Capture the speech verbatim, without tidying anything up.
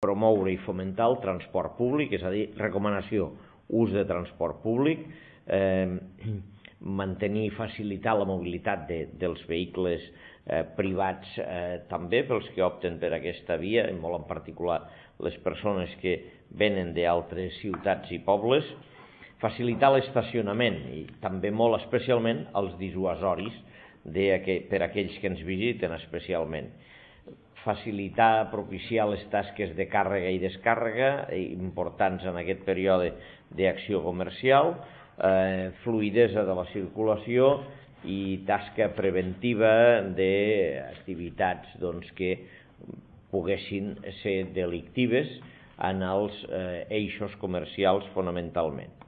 promoure i fomentar el transport públic, és a dir, recomanació, ús de transport públic, eh, mantenir i facilitar la mobilitat de, dels vehicles eh, privats eh, també pels que opten per aquesta via, i molt en particular les persones que venen d'altres ciutats i pobles, facilitar l'estacionament i també molt especialment els dissuasoris de, per a aquells que ens visiten especialment. Facilitar, propiciar les tasques de càrrega i descàrrega importants en aquest període d'acció comercial, eh, fluïdesa de la circulació i tasca preventiva d'activitats doncs, que poguessin ser delictives en els eh, eixos comercials fonamentalment.